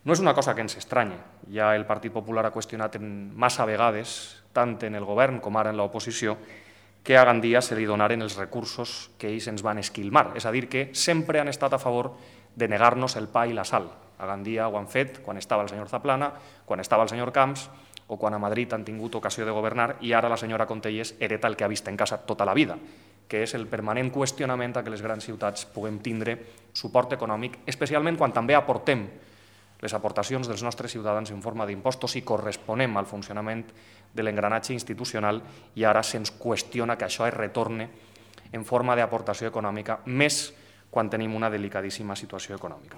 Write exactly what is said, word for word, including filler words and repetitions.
No és una cosa que ens estranye. Ja el Partit Popular ha qüestionat en massa vegades, tant en el govern com ara en l'oposició, que a Gandia se li donaren els recursos que ells ens van esquilmar. És a dir, que sempre han estat a favor de negar-nos el pa i la sal. A Gandia ho han fet quan estava el senyor Zaplana, quan estava el senyor Camps o quan a Madrid han tingut ocasió de governar i ara la senyora Contellers hereta el que ha vist en casa tota la vida, que és el permanent qüestionament a que les grans ciutats puguem tindre suport econòmic, especialment quan també aportem les aportacions dels nostres ciutadans en forma d'impostos i corresponem al funcionament de l'engranatge institucional i ara se'ns qüestiona que això es retorne en forma d'aportació econòmica, més quan tenim una delicadíssima situació econòmica.